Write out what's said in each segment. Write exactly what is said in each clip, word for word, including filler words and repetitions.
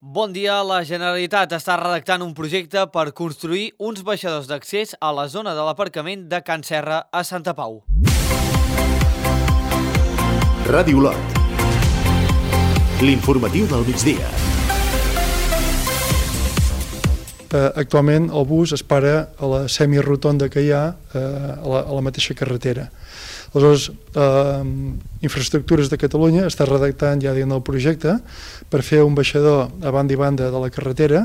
Bon dia. La Generalitat està redactant un projecte per construir uns baixadors d'accés a la zona de l'aparcament de Can Serra a Santa Pau. Ràdio Lot. L'informatiu del migdia. Uh, actualment el bus es para a la semirotonda que hi ha uh, a, la, a la mateixa carretera. Aleshores, uh, Infraestructures de Catalunya està redactant ja dins del projecte per fer un baixador a banda i banda de la carretera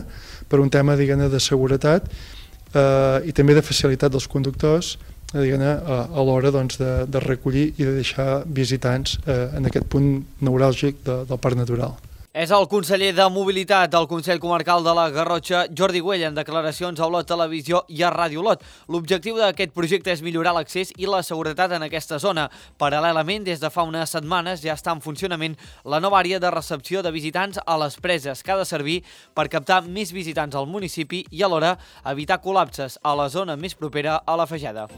per un tema, diguem-ne, de seguretat uh, i també de facilitat dels conductors, diguem-ne, a, a l'hora doncs, de, de recollir i de deixar visitants uh, en aquest punt neuràlgic de, del Parc Natural. És el conseller de Mobilitat del Consell Comarcal de la Garrotxa, Jordi Güell, en declaracions a Olot Televisió i a Ràdio Olot. L'objectiu d'aquest projecte és millorar l'accés i la seguretat en aquesta zona. Paral·lelament, des de fa unes setmanes ja està en funcionament la nova àrea de recepció de visitants a les preses, que ha de servir per captar més visitants al municipi i alhora evitar col·lapses a la zona més propera a la Fageda.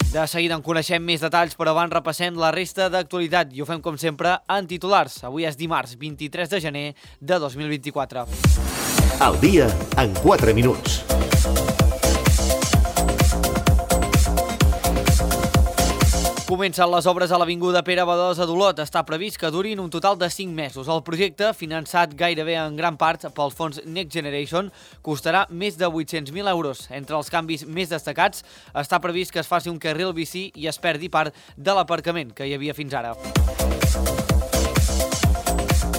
De seguida en coneixem més detalls, però abans repassem la resta d'actualitat i ho fem com sempre en titulars. Avui és dimarts vint-i-tres de gener de dos mil vint-i-quatre. El dia en quatre minuts. Comencen les obres a l'Avinguda Pere Badosa d'Olot. Està previst que durin un total de cinc mesos. El projecte, finançat gairebé en gran part pels fons Next Generation, costarà més de vuit-cents mil euros. Entre els canvis més destacats, està previst que es faci un carril bici i es perdi part de l'aparcament que hi havia fins ara.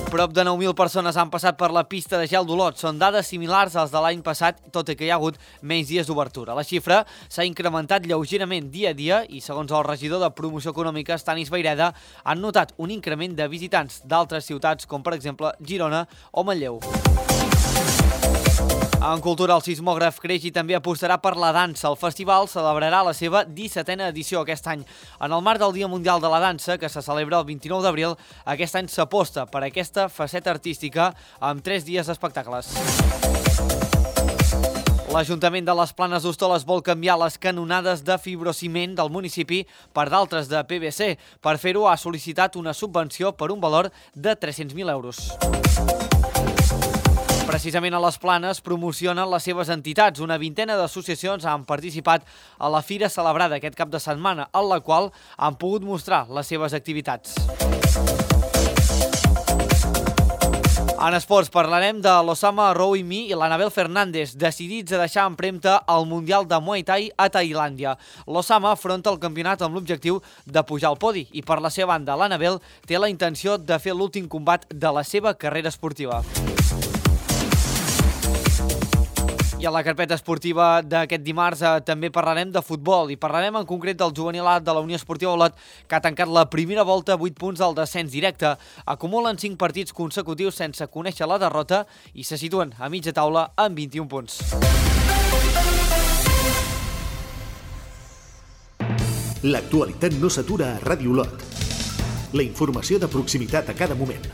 Prop de nou mil persones han passat per la pista de gel d'Olot. Són dades similars als de l'any passat, tot i que hi ha hagut menys dies d'obertura. La xifra s'ha incrementat lleugerament dia a dia i, segons el regidor de Promoció Econòmica, Stanis Vayreda, han notat un increment de visitants d'altres ciutats, com per exemple Girona o Manlleu. En cultura, el sismògraf creix i també apostarà per la dansa. El festival celebrarà la seva dissetena edició aquest any. En el marc del Dia Mundial de la Dansa, que se celebra el vint-i-nou d'abril, aquest any s'aposta per aquesta faceta artística amb tres dies d'espectacles. L'Ajuntament de les Planes d'Hostoles vol canviar les canonades de fibrociment del municipi per d'altres de P V C. Per fer-ho, ha sol·licitat una subvenció per un valor de tres-cents mil euros. Precisament a les Planes promocionen les seves entitats. Una vintena d'associacions han participat a la fira celebrada aquest cap de setmana, en la qual han pogut mostrar les seves activitats. En esports parlarem de l'Osama Rouimi i l'Anabel Fernández, decidits a deixar empremta al Mundial de Muay Thai a Tailàndia. L'Osama afronta el campionat amb l'objectiu de pujar al podi i, per la seva banda, l'Anabel té la intenció de fer l'últim combat de la seva carrera esportiva. I a la carpeta esportiva d'aquest dimarts eh, també parlarem de futbol i parlarem en concret del juvenil A de la Unió Esportiva Olot, que ha tancat la primera volta a vuit punts del descens directe. Acumulen cinc partits consecutius sense conèixer la derrota i se situen a mitja taula amb vint-i-un punts. L'actualitat no s'atura a Ràdio Lot. La informació de proximitat a cada moment.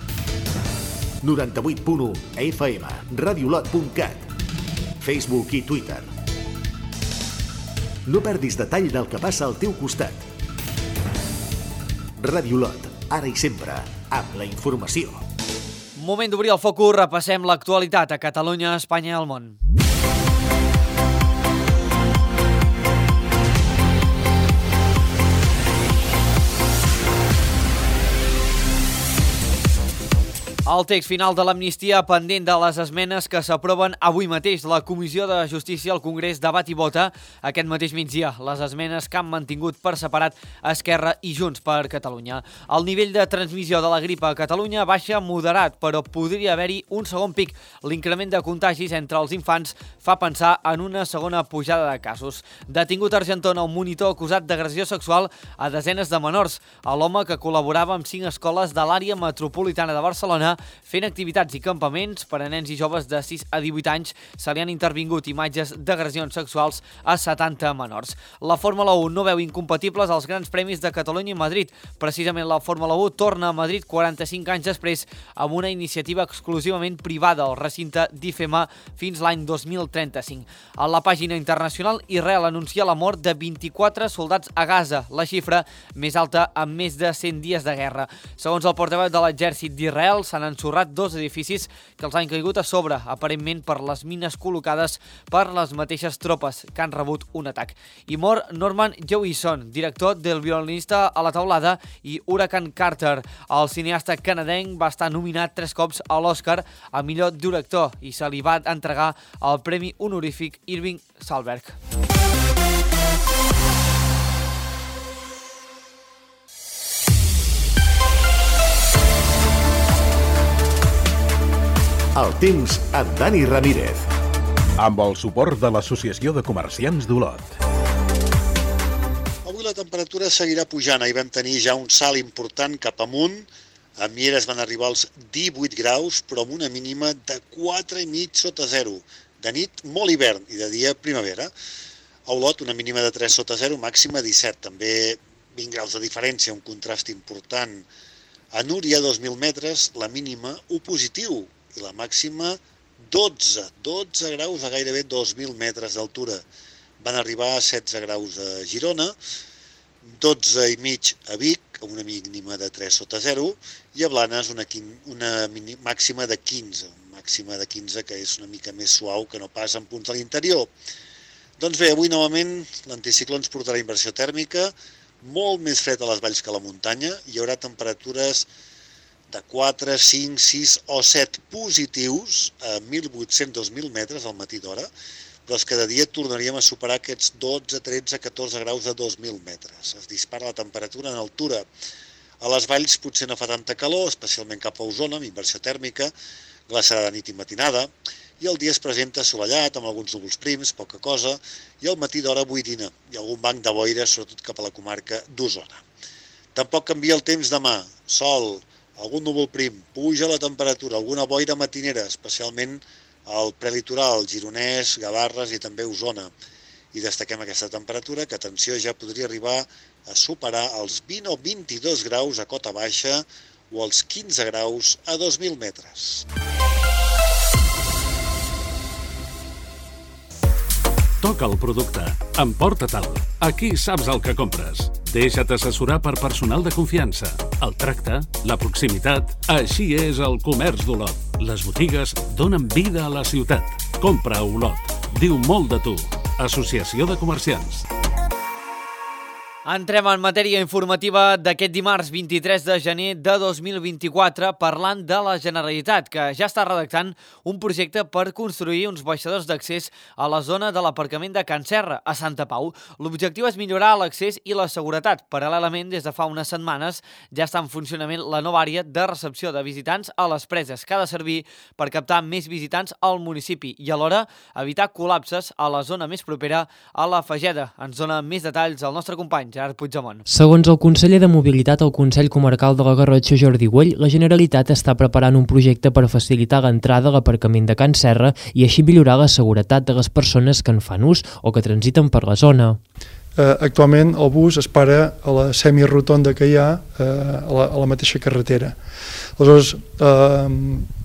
noranta-vuit punt u F M, radiolot punt cat, Facebook i Twitter. No perdis detall del que passa al teu costat. Ràdio Lot, ara i sempre, amb la informació. Moment d'obrir el focus, repassem l'actualitat a Catalunya, Espanya i el món. El text final de l'amnistia pendent de les esmenes que s'aproven avui mateix. La Comissió de Justícia al Congrés debat i vota aquest mateix migdia les esmenes que han mantingut per separat Esquerra i Junts per Catalunya. El nivell de transmissió de la grip a Catalunya baixa moderat, però podria haver-hi un segon pic. L'increment de contagis entre els infants fa pensar en una segona pujada de casos. Detingut a Argentona un monitor acusat d'agressió sexual a desenes de menors. L'home, que col·laborava amb cinc escoles de l'àrea metropolitana de Barcelona, fent activitats i campaments per a nens i joves de sis a divuit anys, se li han intervingut imatges d'agressions sexuals a setanta menors. La Fórmula u no veu incompatibles els grans premis de Catalunya i Madrid. Precisament la Fórmula u torna a Madrid quaranta-cinc anys després amb una iniciativa exclusivament privada al recinte d'I F E M A fins l'any dos mil trenta-cinc. A la pàgina internacional, Israel anuncia la mort de vint-i-quatre soldats a Gaza, la xifra més alta en més de cent dies de guerra. Segons el portaveu de l'exèrcit d'Israel, s'han han ensorrat dos edificis que els han caigut a sobre, aparentment per les mines col·locades per les mateixes tropes que han rebut un atac. I mor Norman Jewison, director del Violinista a la teulada i Hurricane Carter. El cineasta canadenc va estar nominat tres cops a l'Oscar a millor director i se li va entregar el premi honorífic Irving Thalberg. El temps amb Dani Ramírez. Amb el suport de l'Associació de Comerciants d'Olot. Avui la temperatura seguirà pujant. Ahir vam tenir ja un salt important cap amunt. A Mieres van arribar als divuit graus, però amb una mínima de quatre i mig sota zero. De nit, molt hivern, i de dia, primavera. A Olot, una mínima de tres sota zero, màxima disset. També vint graus de diferència, un contrast important. A Núria, dos mil metres, la mínima u positiu. I la màxima dotze, dotze graus a gairebé dos mil metres d'altura. Van arribar a setze graus a Girona, dotze i mig a Vic, amb una mínima de tres sota zero, i a Blanes una, una màxima de quinze, una màxima de quinze que és una mica més suau que no pas en punts de l'interior. Doncs bé, avui novament l'anticicló ens portarà inversió tèrmica, molt més fred a les valls que a la muntanya, hi haurà temperatures de quatre, cinc, sis o set positius a mil vuit-cents a dos mil metres al matí d'hora, però és que de dia tornaríem a superar aquests dotze, tretze, catorze graus a dos mil metres. Es dispara la temperatura en altura. A les valls potser no fa tanta calor, especialment cap a Osona, amb inversió tèrmica, glaçarà de nit i matinada, i el dia es presenta assolellat, amb alguns núvols prims, poca cosa, i al matí d'hora boirina, i algun banc de boira, sobretot cap a la comarca d'Osona. Tampoc canvia el temps demà, sol, algun núvol prim, puja la temperatura, alguna boira matinera, especialment al prelitoral, Gironès, Gavarres i també Osona. I destaquem aquesta temperatura, que, atenció, ja podria arribar a superar els vint o vint-i-dos graus a cota baixa o els quinze graus a dos mil metres. Toca el producte. Emporta-te'l. Aquí saps el que compres. Deixa't assessorar per personal de confiança. El tracte, la proximitat... Així és el comerç d'Olot. Les botigues donen vida a la ciutat. Compra a Olot. Diu molt de tu. Associació de Comerciants. Entrem en matèria informativa d'aquest dimarts vint-i-tres de gener de dos mil vint-i-quatre parlant de la Generalitat, que ja està redactant un projecte per construir uns baixadors d'accés a la zona de l'aparcament de Can Serra, a Santa Pau. L'objectiu és millorar l'accés i la seguretat. Paral·lelament, des de fa unes setmanes, ja està en funcionament la nova àrea de recepció de visitants a les preses, que ha de servir per captar més visitants al municipi i alhora evitar col·lapses a la zona més propera a la Fageda. Ens dona més detalls el nostre company, Gerard Puigdemont. Segons el conseller de Mobilitat al Consell Comarcal de la Garrotxa, Jordi Güell, la Generalitat està preparant un projecte per facilitar l'entrada a l'aparcament de Can Serra i així millorar la seguretat de les persones que en fan ús o que transiten per la zona. Eh, actualment el bus es para a la semirotonda que hi ha eh, a, la, a la mateixa carretera. Aleshores, eh,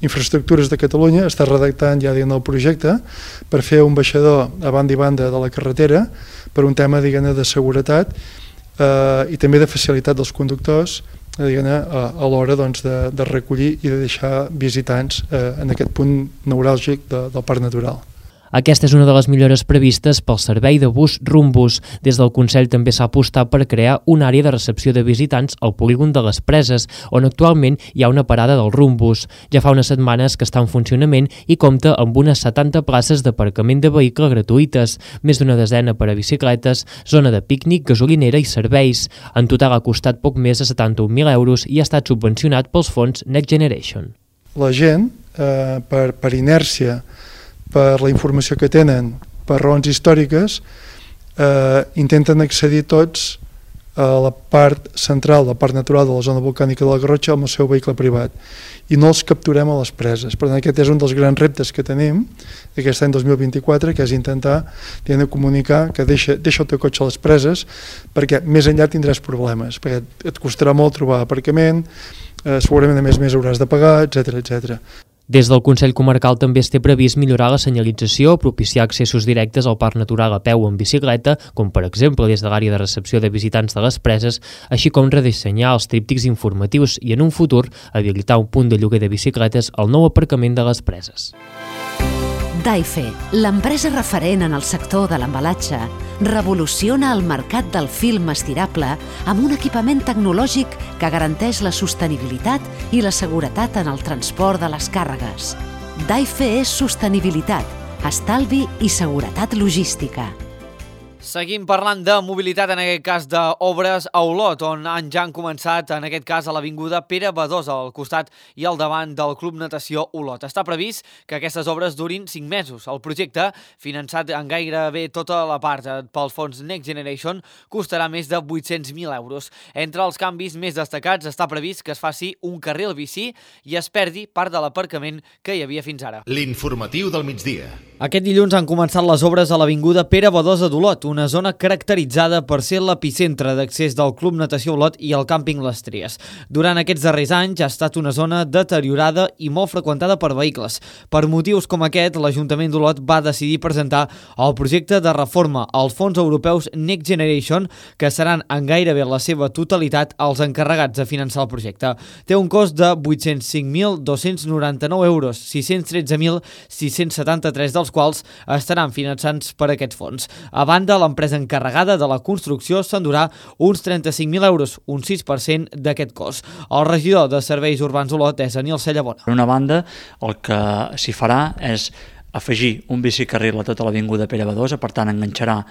Infraestructures de Catalunya està redactant ja diguem, el projecte per fer un baixador a banda i banda de la carretera per un tema diguem, de seguretat eh, i també de facilitat dels conductors diguem, a, a l'hora doncs, de, de recollir i de deixar visitants eh, en aquest punt neuràlgic de, del Parc Natural. Aquesta és una de les millores previstes pel servei de bus Rumbus. Des del Consell també s'ha apostat per crear una àrea de recepció de visitants al polígon de les Preses, on actualment hi ha una parada del Rumbus. Ja fa unes setmanes que està en funcionament i compta amb unes setanta places d'aparcament de vehicle gratuïtes, més d'una desena per a bicicletes, zona de pícnic, gasolinera i serveis. En total ha costat poc més de setanta-un mil euros i ha estat subvencionat pels fons Next Generation. La gent, eh, per, per inèrcia, per la informació que tenen, per raons històriques, eh, intenten accedir tots a la part central del Parc Natural de la zona volcànica de la Garrotxa amb el seu vehicle privat i no els capturem a les preses. Per tant, aquest és un dels grans reptes que tenim aquest any dos mil vint-i-quatre, que és intentar de comunicar que deixa, deixa el teu cotxe a les preses perquè més enllà tindràs problemes, perquè et costarà molt trobar aparcament, eh, segurament a més a més hauràs de pagar, etcètera, etcètera. Des del Consell Comarcal també es té previst millorar la senyalització, propiciar accessos directes al Parc Natural a peu o en bicicleta, com per exemple des de l'àrea de recepció de visitants de les preses, així com redissenyar els tríptics informatius i en un futur habilitar un punt de lloguer de bicicletes al nou aparcament de les preses. Daife, l'empresa referent en el sector de l'embalatge, revoluciona el mercat del film estirable amb un equipament tecnològic que garanteix la sostenibilitat i la seguretat en el transport de les càrregues. Daife és sostenibilitat, estalvi i seguretat logística. Seguim parlant de mobilitat, en aquest cas d'obres a Olot, on han ja han començat, en aquest cas, a l'avinguda Pere Badosa, al costat i al davant del Club Natació Olot. Està previst que aquestes obres durin cinc mesos. El projecte, finançat en gairebé tota la part pel fons Next Generation, costarà més de vuit-cents mil euros. Entre els canvis més destacats està previst que es faci un carril bici i es perdi part de l'aparcament que hi havia fins ara. L'informatiu del migdia. Aquest dilluns han començat les obres a l'avinguda Pere Badosa d'Olot, una zona caracteritzada per ser l'epicentre d'accés del Club Natació Olot i el càmping Les Tries. Durant aquests darrers anys ha estat una zona deteriorada i molt freqüentada per vehicles. Per motius com aquest, l'Ajuntament d'Olot va decidir presentar el projecte de reforma als fons europeus Next Generation, que seran en gairebé la seva totalitat els encarregats de finançar el projecte. Té un cost de vuit-cents cinc mil dos-cents noranta-nou euros, sis-cents tretze mil sis-cents setanta-tres dels quals estaran finançats per aquests fons. A banda, l'empresa encarregada de la construcció s'endurà uns trenta-cinc mil euros, un sis per cent d'aquest cost. El regidor de Serveis Urbans d'Olot és Aniol Cellabona. Per una banda, el que s'hi farà és afegir un bicicarril a tota l'avinguda Pere Badosa, per tant enganxarà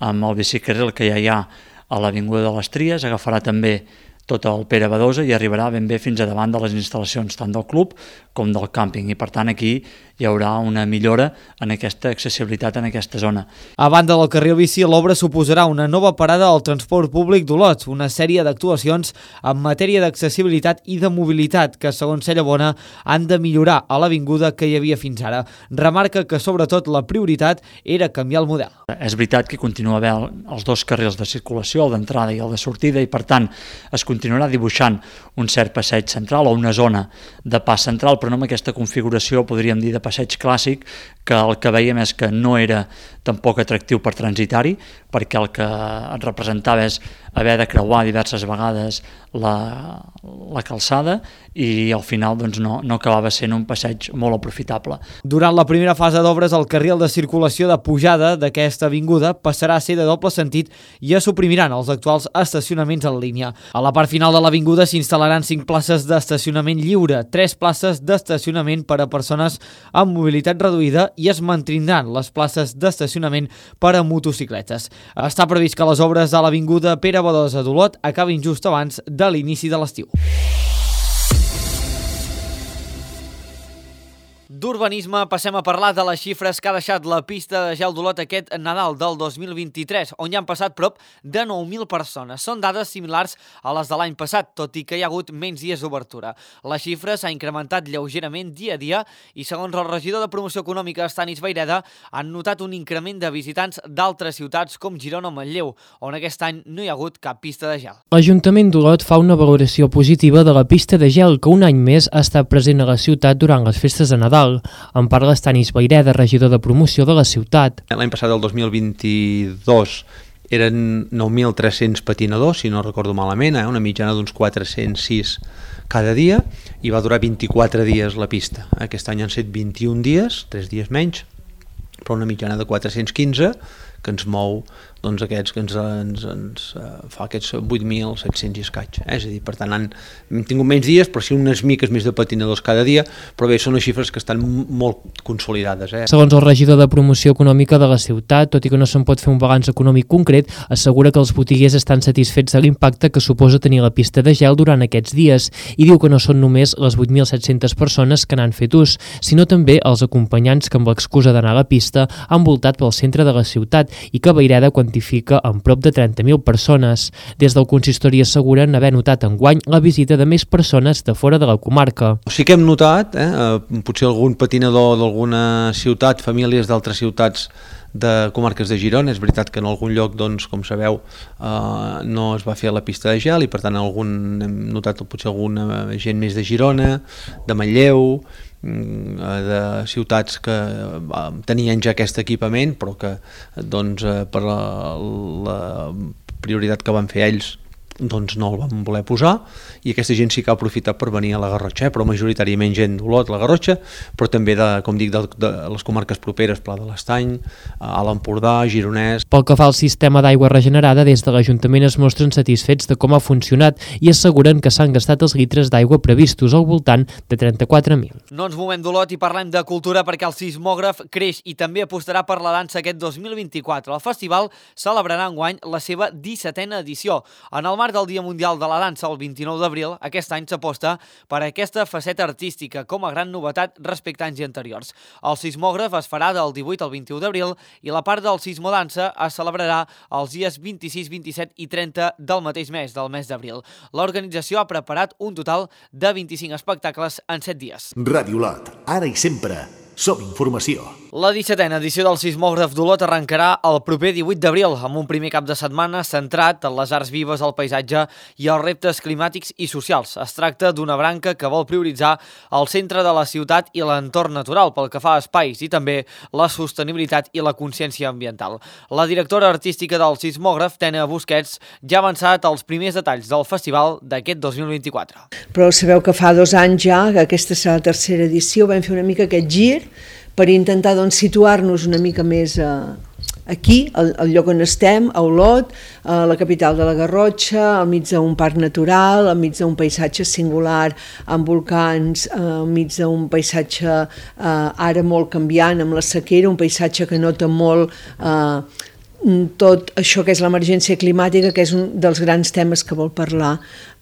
amb el bicicarril que ja hi ha a l'avinguda de les Tries, agafarà també tot el Pere Badosa i arribarà ben bé fins a davant de les instal·lacions tant del club com del càmping, i per tant aquí hi haurà una millora en aquesta accessibilitat en aquesta zona. A banda del carril bici, l'obra suposarà una nova parada al transport públic d'Olot, una sèrie d'actuacions en matèria d'accessibilitat i de mobilitat que, segons Cellabona, han de millorar a l'avinguda que hi havia fins ara. Remarca que, sobretot, la prioritat era canviar el model. És veritat que continua havent els dos carrils de circulació, el d'entrada i el de sortida, i per tant es continuarà dibuixant un cert passeig central o una zona de pas central, però no amb aquesta configuració, podríem dir, de passeig clàssic, que el que veiem és que no era tampoc atractiu per transitar-hi, perquè el que et representava és haver de creuar diverses vegades la, la calçada i al final doncs, no, no acabava sent un passeig molt aprofitable. Durant la primera fase d'obres, el carril de circulació de pujada d'aquesta avinguda passarà a ser de doble sentit i es suprimiran els actuals estacionaments en línia. A la part final de l'avinguda s'instal·laran cinc places d'estacionament lliure, tres places d'estacionament per a persones amb mobilitat reduïda i es mantindran les places d'estacionament per a motocicletes. Està previst que les obres a l'avinguda Pere Badosa d'Olot acabin just abans de l'inici de l'estiu. D'urbanisme passem a parlar de les xifres que ha deixat la pista de gel d'Olot aquest Nadal del dos mil vint-i-tres, on hi han passat prop de nou mil persones. Són dades similars a les de l'any passat, tot i que hi ha hagut menys dies d'obertura. La xifra s'ha incrementat lleugerament dia a dia i, segons el regidor de Promoció Econòmica, Stanis Vayreda, han notat un increment de visitants d'altres ciutats com Girona o Manlleu, on aquest any no hi ha hagut cap pista de gel. L'Ajuntament d'Olot fa una valoració positiva de la pista de gel que un any més ha estat present a la ciutat durant les festes de Nadal. En parla Stanis Vayreda, regidor de promoció de la ciutat. L'any passat, el dos mil vint-i-dos, eren nou mil tres-cents patinadors, si no recordo malament, eh? una mitjana d'uns quatre-cents sis cada dia, i va durar vint-i-quatre dies la pista. Aquest any han set vint-i-un dies, tres dies menys, però una mitjana de quatre-cents quinze, que ens mou doncs, aquests que ens, ens, ens uh, fa aquests vuit mil set-cents i escaig. Eh? És a dir, per tant, han, hem tingut menys dies, però sí unes miques més de patinadors cada dia, però bé, són les xifres que estan molt consolidades. Eh? Segons el regidor de Promoció Econòmica de la ciutat, tot i que no se'n pot fer un balanç econòmic concret, assegura que els botiguers estan satisfets de l'impacte que suposa tenir la pista de gel durant aquests dies i diu que no són només les vuit mil set-centes persones que n'han fet ús, sinó també els acompanyants que amb l'excusa d'anar a la pista han voltat pel centre de la ciutat i que Vayreda quantifica en prop de trenta mil persones. Des del consistori asseguren haver notat enguany la visita de més persones de fora de la comarca. Sí que hem notat, eh, potser algun patinador d'alguna ciutat, famílies d'altres ciutats de comarques de Girona. És veritat que en algun lloc, doncs, com sabeu, eh, no es va fer la pista de gel i per tant algun, hem notat potser alguna gent més de Girona, de Manlleu, de ciutats que tenien ja aquest equipament, però que doncs, per la, la prioritat que van fer ells doncs no el van voler posar, i aquesta gent sí que ha aprofitat per venir a la Garrotxa, eh? Però majoritàriament gent d'Olot, la Garrotxa, però també, de, com dic, de, de les comarques properes, Pla de l'Estany, a l'Empordà, Gironès. Pel que fa al sistema d'aigua regenerada, des de l'Ajuntament es mostren satisfets de com ha funcionat i asseguren que s'han gastat els litres d'aigua previstos al voltant de trenta-quatre mil. No ens movem d'Olot i parlem de cultura perquè el sismògraf creix i també apostarà per la dansa aquest dos mil vint-i-quatre. El festival celebrarà enguany la seva dissetena edició. En el marc del Dia Mundial de la Dansa, el vint-i-nou d'abril, aquest any s'aposta per aquesta faceta artística com a gran novetat respecte a anys anteriors. El sismògraf es farà del divuit al vint-i-u d'abril i la part del sismodansa es celebrarà els dies vint-i-sis, vint-i-set i trenta del mateix mes, del mes d'abril. L'organització ha preparat un total de vint-i-cinc espectacles en set dies. Ràdio Olot, ara i sempre, som informació. La dissetena edició del sismògraf d'Olot arrencarà el proper divuit d'abril amb un primer cap de setmana centrat en les arts vives, el paisatge i els reptes climàtics i socials. Es tracta d'una branca que vol prioritzar el centre de la ciutat i l'entorn natural pel que fa a espais i també la sostenibilitat i la consciència ambiental. La directora artística del sismògraf, Tena Busquets, ja ha avançat els primers detalls del festival d'aquest dos mil vint-i-quatre. Però sabeu que fa dos anys ja, que aquesta serà la tercera edició, vam fer una mica aquest gir per intentar doncs, situar-nos una mica més eh, aquí, al, al lloc on estem, a Olot, a la capital de la Garrotxa, al mig d'un parc natural, al mig d'un paisatge singular amb volcans, eh, al mig d'un paisatge eh, ara molt canviant amb la sequera, un paisatge que nota molt eh, tot això que és l'emergència climàtica, que és un dels grans temes que vol parlar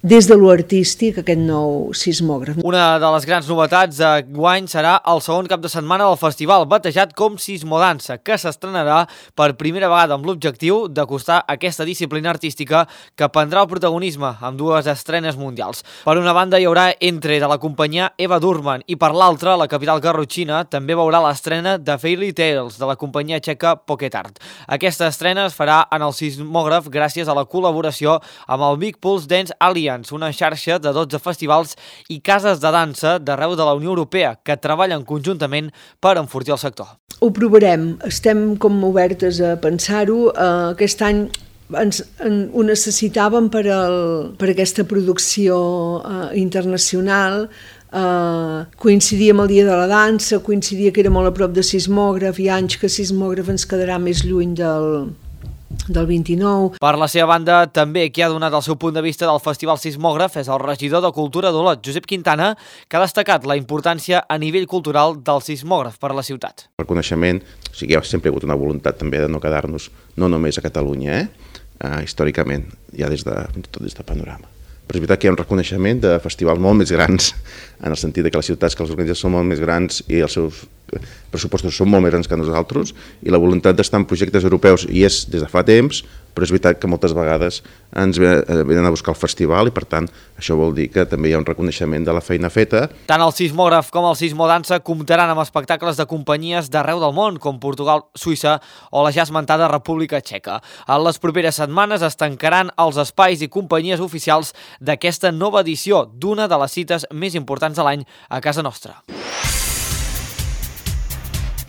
des de lo artístic aquest nou sismògraf. Una de les grans novetats d'enguany serà el segon cap de setmana del festival, batejat com Sismodansa, que s'estrenarà per primera vegada amb l'objectiu d'acostar aquesta disciplina artística que prendrà el protagonisme amb dues estrenes mundials. Per una banda hi haurà Entre de la companyia Eva Durman i per l'altra, la capital garrotxina també veurà l'estrena de Fairy Tales de la companyia txeca Pocket Art. Aquesta estrena es farà en el sismògraf gràcies a la col·laboració amb el Big Pulse Dance Alliance, una xarxa de dotze festivals i cases de dansa d'arreu de la Unió Europea que treballen conjuntament per enfortir el sector. Ho provarem, estem com obertes a pensar-ho. Uh, aquest any ens, en, ho necessitàvem per, el, per aquesta producció uh, internacional. Uh, coincidia amb el Dia de la Dansa, coincidia que era molt a prop de sismògraf, hi ha anys que sismògraf ens quedarà més lluny del... del vint-i-nou. Per la seva banda, també qui ha donat el seu punt de vista del Festival Sismògraf és el regidor de Cultura d'Olot, Josep Quintana, que ha destacat la importància a nivell cultural del sismògraf per a la ciutat. El coneixement, o sigui, hi ha sempre hagut una voluntat també de no quedar-nos no només a Catalunya, eh? Uh, històricament, ja des de, tot des de panorama. Però és veritat que hi ha un reconeixement de festivals molt més grans, en el sentit que les ciutats que els organitzen són molt més grans i els seus pressupostos són molt més grans que nosaltres, i la voluntat d'estar en projectes europeus hi és des de fa temps, però és veritat que moltes vegades ens venen a buscar el festival i per tant això vol dir que també hi ha un reconeixement de la feina feta. Tant el sismògraf com el sismodansa comptaran amb espectacles de companyies d'arreu del món, com Portugal, Suïssa o la ja esmentada República Txeca. En les properes setmanes es tancaran els espais i companyies oficials d'aquesta nova edició d'una de les cites més importants de l'any a casa nostra.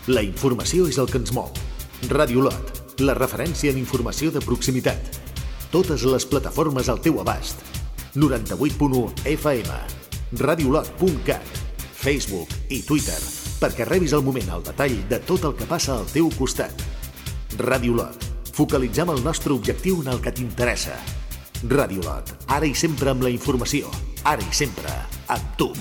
La informació és el que ens mou. Ràdio Olot, la referència en informació de proximitat. Totes les plataformes al teu abast. noranta-vuit punt u F M, radiolot punt cat, Facebook i Twitter, perquè rebis al moment el detall de tot el que passa al teu costat. Ràdio Olot, focalitzem el nostre objectiu en el que t'interessa. Ràdio Olot, ara i sempre amb la informació, ara i sempre amb tu.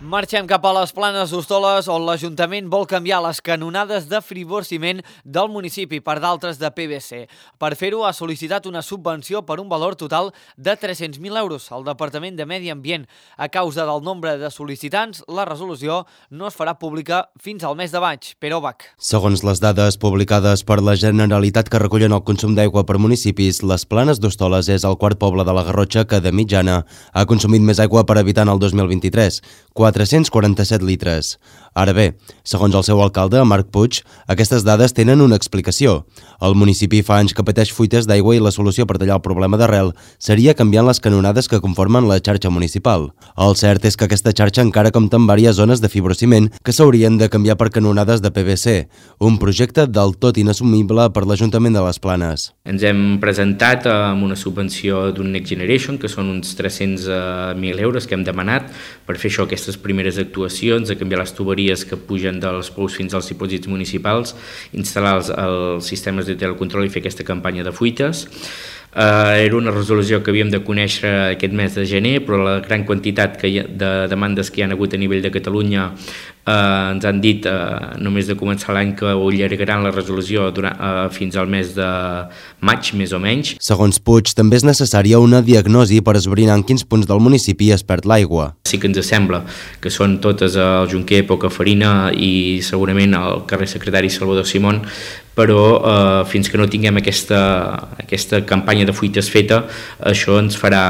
Marxem cap a les Planes d'Hostoles, on l'Ajuntament vol canviar les canonades de friborciment del municipi per d'altres de P V C. Per fer-ho, ha sol·licitat una subvenció per un valor total de tres-cents mil euros al Departament de Medi Ambient. A causa del nombre de sol·licitants, la resolució no es farà pública fins al mes de maig. Pere Obac. Segons les dades publicades per la Generalitat que recullen el consum d'aigua per municipis, les Planes d'Hostoles és el quart poble de la Garrotxa que, de mitjana, ha consumit més aigua per habitant el dos mil vint-i-tres. Quatre quatre-cents quaranta-set litres. Ara bé, segons el seu alcalde, Marc Puig, aquestes dades tenen una explicació. El municipi fa anys que pateix fuites d'aigua i la solució per tallar el problema d'arrel seria canviant les canonades que conformen la xarxa municipal. El cert és que aquesta xarxa encara compta amb diverses zones de fibrociment que s'haurien de canviar per canonades de P V C, un projecte del tot inassumible per l'Ajuntament de les Planes. Ens hem presentat amb una subvenció d'un Next Generation, que són uns tres-cents mil euros que hem demanat per fer això, aquestes primeres actuacions, de canviar les tuberies que pugen dels pous fins als dipòsits municipals, instal·lar els, els sistemes de telecontrol i fer aquesta campanya de fuites. Uh, era una resolució que havíem de conèixer aquest mes de gener, però la gran quantitat que hi ha, de demandes que hi ha hagut a nivell de Catalunya uh, ens han dit uh, només de començar l'any que ho allargaran la resolució durant, uh, fins al mes de maig, més o menys. Segons Puig, també és necessària una diagnosi per esbrinar en quins punts del municipi es perd l'aigua. Sí que ens sembla que són totes al Junquer, Pocafarina i segurament al carrer Secretari Salvador Simón, però eh, fins que no tinguem aquesta, aquesta campanya de fuites feta, això ens farà,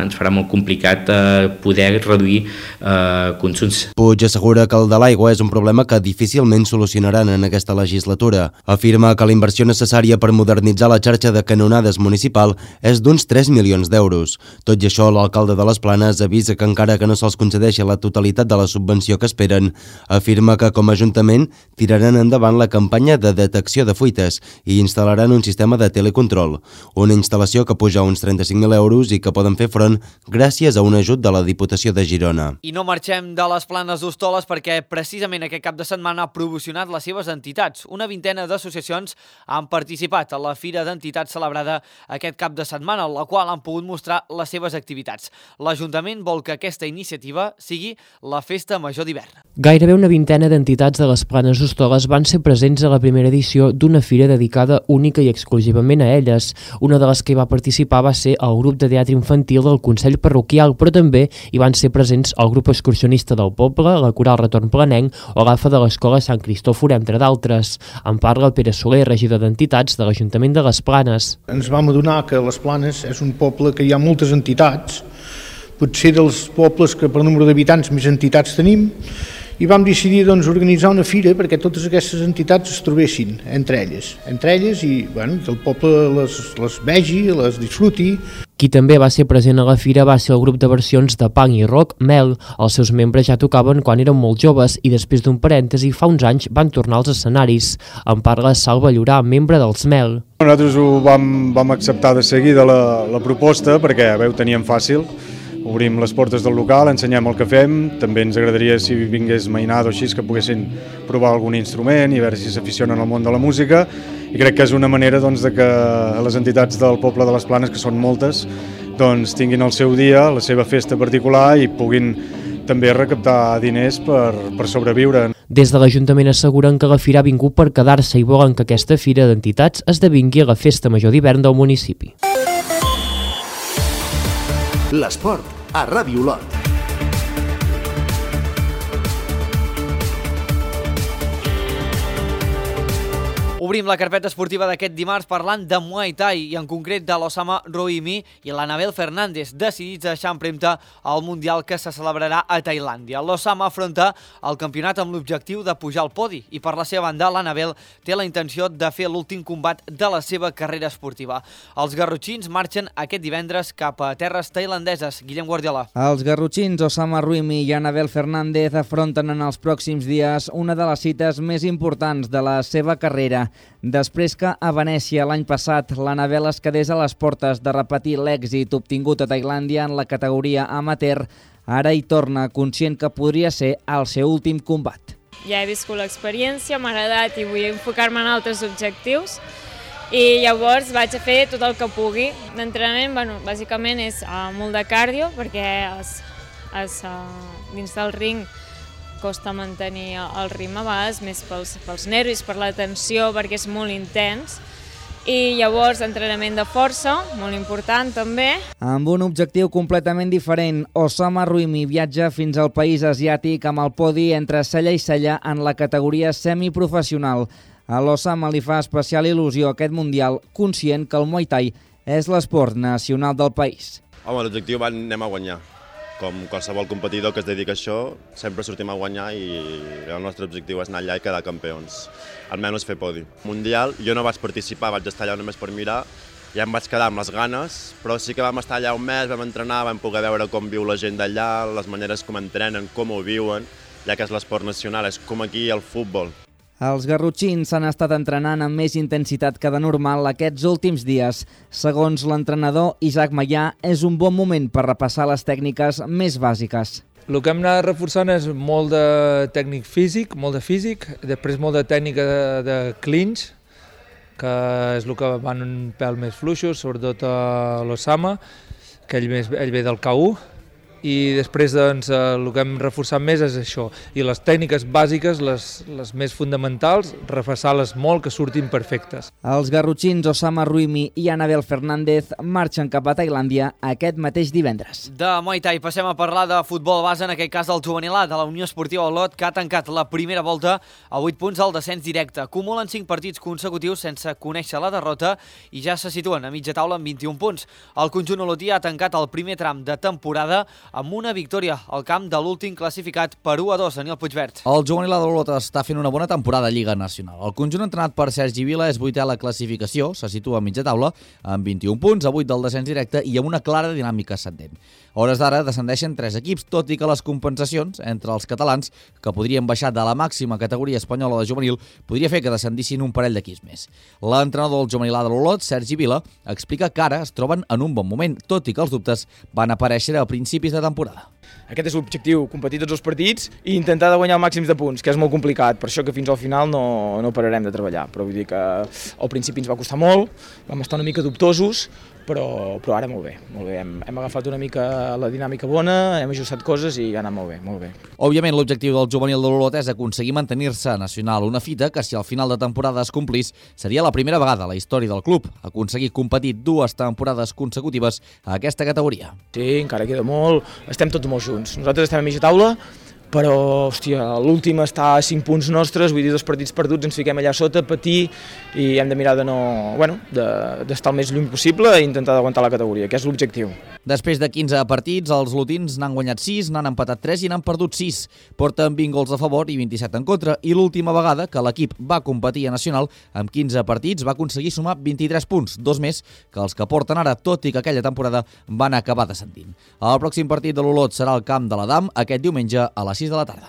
ens farà molt complicat eh, poder reduir eh, consums. Puig assegura que el de l'aigua és un problema que difícilment solucionaran en aquesta legislatura. Afirma que la inversió necessària per modernitzar la xarxa de canonades municipal és d'uns tres milions d'euros. Tot i això, l'alcalde de les Planes avisa que encara que no se'ls concedeixi la totalitat de la subvenció que esperen, afirma que com a Ajuntament tiraran endavant la campanya de detecció de de fuites i instal·laran un sistema de telecontrol, una instal·lació que puja uns trenta-cinc mil euros i que poden fer front gràcies a un ajut de la Diputació de Girona. I no marxem de les Planes d'Hostoles perquè precisament aquest cap de setmana ha promocionat les seves entitats. Una vintena d'associacions han participat a la Fira d'Entitats celebrada aquest cap de setmana, en la qual han pogut mostrar les seves activitats. L'Ajuntament vol que aquesta iniciativa sigui la Festa Major d'hivern. Gairebé una vintena d'entitats de les Planes d'Hostoles van ser presents a la primera edició d'una fira dedicada única i exclusivament a elles. Una de les que hi va participar va ser el grup de teatre infantil del Consell Parroquial, però també hi van ser presents el grup excursionista del poble, la Coral Retorn Planenc o l'A F A de l'Escola Sant Cristòfor, entre d'altres. En parla el Pere Soler, regidor d'Entitats de l'Ajuntament de les Planes. Ens vam adonar que les Planes és un poble que hi ha moltes entitats, potser dels pobles que per número d'habitants més entitats tenim, i vam decidir doncs, organitzar una fira perquè totes aquestes entitats es trobessin entre elles, entre elles i bueno, que el poble les, les vegi, les disfruti. Qui també va ser present a la fira va ser el grup de versions de punk i rock Mel. Els seus membres ja tocaven quan eren molt joves i després d'un parèntesi fa uns anys van tornar als escenaris. En parla Salva Llorà, membre dels Mel. Nosaltres ho vam, vam acceptar de seguida la, la proposta perquè bé, ho teníem fàcil. Obrim les portes del local, ensenyem el que fem, també ens agradaria si vingués mainada o així que poguessin provar algun instrument i a veure si s'aficionen al món de la música, i crec que és una manera doncs, de que les entitats del poble de les Planes, que són moltes, doncs, tinguin el seu dia, la seva festa particular i puguin també recaptar diners per, per sobreviure. Des de l'Ajuntament asseguren que la fira ha vingut per quedar-se i volen que aquesta fira d'entitats esdevingui la festa major d'hivern del municipi. L'esport a Ràdio Olot. Obrim la carpeta esportiva d'aquest dimarts parlant de Muay Thai i en concret de l'Osama Rohimi i l'Anabel Fernández, decidits a deixar empremta al Mundial que se celebrarà a Tailàndia. L'Osama afronta el campionat amb l'objectiu de pujar al podi i per la seva banda l'Anabel té la intenció de fer l'últim combat de la seva carrera esportiva. Els garrotxins marxen aquest divendres cap a terres tailandeses. Guillem Guardiola. Els garrotxins Osama Rohimi i Anabel Fernández afronten en els pròxims dies una de les cites més importants de la seva carrera. Després que a Venècia l'any passat l'Anabel es quedés a les portes de repetir l'èxit obtingut a Tailàndia en la categoria amateur, ara hi torna conscient que podria ser el seu últim combat. Ja he viscut l'experiència, m'ha agradat i vull enfocar-me en altres objectius i llavors vaig a fer tot el que pugui. D'entrenament, bueno, bàsicament és uh, molt de cardio perquè es, es, uh, dins del ring costa mantenir el ritme a vegades, més pels, pels nervis, per la tensió, perquè és molt intens. I llavors entrenament de força, molt important també. Amb un objectiu completament diferent, Osama Rohimi viatja fins al país asiàtic amb el podi entre cella i cella en la categoria semiprofessional. A l'Osama li fa especial il·lusió aquest Mundial, conscient que el Muay Thai és l'esport nacional del país. Home, l'objectiu va anem a guanyar. com qualsevol competidor que es dedica a això, sempre sortim a guanyar i el nostre objectiu és anar allà i quedar campions, almenys fer podi. Mundial, jo no vaig participar, vaig estar allà només per mirar, ja em vaig quedar amb les ganes, però sí que vam estar allà un mes, vam entrenar, vam poder veure com viu la gent d'allà, les maneres com entrenen, com ho viuen, ja que és l'esport nacional, és com aquí el futbol. Els garrotxins s'han estat entrenant amb més intensitat que de normal aquests últims dies. Segons l'entrenador Isaac Maià, és un bon moment per repassar les tècniques més bàsiques. El que hem anat reforçant és molt de tècnic físic, molt de físic, després molt de tècnica de, de clinch, que és el que van un pèl més fluixos, sobretot a l'Osama, que ell, més, ell ve del K u, i després doncs, el que hem reforçat més és això, i les tècniques bàsiques, les, les més fonamentals, reforçar-les molt, que surtin perfectes. Els garrotxins Osama Ruimi i Anabel Fernández marxen cap a Tailàndia aquest mateix divendres. De Muay Thai passem a parlar de futbol base, en aquest cas del juvenil A de la Unió Esportiva Olot, que ha tancat la primera volta a vuit punts al descens directe. Acumulen cinc partits consecutius sense conèixer la derrota i ja se situen a mitja taula amb vint-i-un punts. El conjunt olotí ha tancat el primer tram de temporada amb una victòria al camp de l'últim classificat per u a dos, Daniel Puigverd. El juvenil de l'Olot està fent una bona temporada a Lliga Nacional. El conjunt entrenat per Sergi Vila és vuitè a la classificació, se situa a mitja taula, amb vint-i-un punts, a vuit del descens directe i amb una clara dinàmica ascendent. A hores d'ara descendeixen tres equips, tot i que les compensacions entre els catalans, que podrien baixar de la màxima categoria espanyola de juvenil, podria fer que descendissin un parell d'equips més. L'entrenador del juvenil de l'Olot, Sergi Vila, explica que ara es troben en un bon moment, tot i que els dubtes van aparèixer a principis de temporada. Aquest és l'objectiu, competir tots els partits i intentar de guanyar el màxim de punts, que és molt complicat, per això que fins al final no, no pararem de treballar, però vull dir que al principi ens va costar molt, vam estar una mica dubtosos, però, però ara molt bé, molt bé. Hem, hem agafat una mica la dinàmica bona, hem ajustat coses i ha anat molt bé, molt bé. Òbviament l'objectiu del juvenil de l'Olot és aconseguir mantenir-se nacional, una fita que si al final de temporada es complís seria la primera vegada a la història del club aconseguir competir dues temporades consecutives a aquesta categoria. Sí, encara queda molt, estem tots molt junts. Nosaltres estem a mitja taula, però, hòstia, l'últim està a cinc punts nostres, vull dir, dos partits perduts, ens fiquem allà sota, patir, i hem de mirar de no, bueno, d'estar el més lluny possible i intentar d'aguantar la categoria, que és l'objectiu. Després de quinze partits, els lotins n'han guanyat sis, n'han empatat tres i n'han perdut sis. Porten vint gols a favor i vint-i-set en contra, i l'última vegada que l'equip va competir a Nacional, amb quinze partits, va aconseguir sumar vint-i-tres punts, dos més que els que porten ara, tot i que aquella temporada van acabar descendint. El pròxim partit de l'Olot serà al camp de l'Adam, aquest diumenge a les sis de la tarda.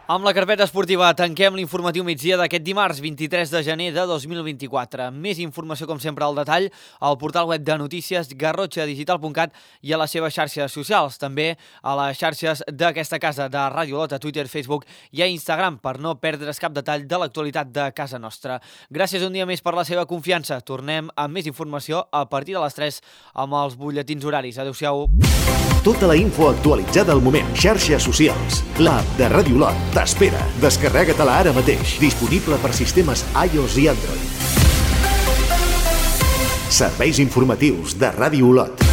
Amb la carpeta esportiva tanquem l'informatiu migdia d'aquest dimarts vint-i-tres de gener de dos mil vint-i-quatre. Més informació, com sempre, al detall al portal web de notícies garrotxa digital punt cat i a les seves xarxes socials. També a les xarxes d'aquesta casa de Ràdio Olot, a Twitter, Facebook i a Instagram, per no perdre's cap detall de l'actualitat de casa nostra. Gràcies un dia més per la seva confiança. Tornem amb més informació a partir de les tres amb els butlletins horaris. Adéu-siau. Tota la info actualitzada al moment. Xarxes socials. L'app de Ràdio Olot t'espera. Descarrega-te-la ara mateix. Disponible per sistemes iOS i Android. Serveis informatius de Ràdio Olot.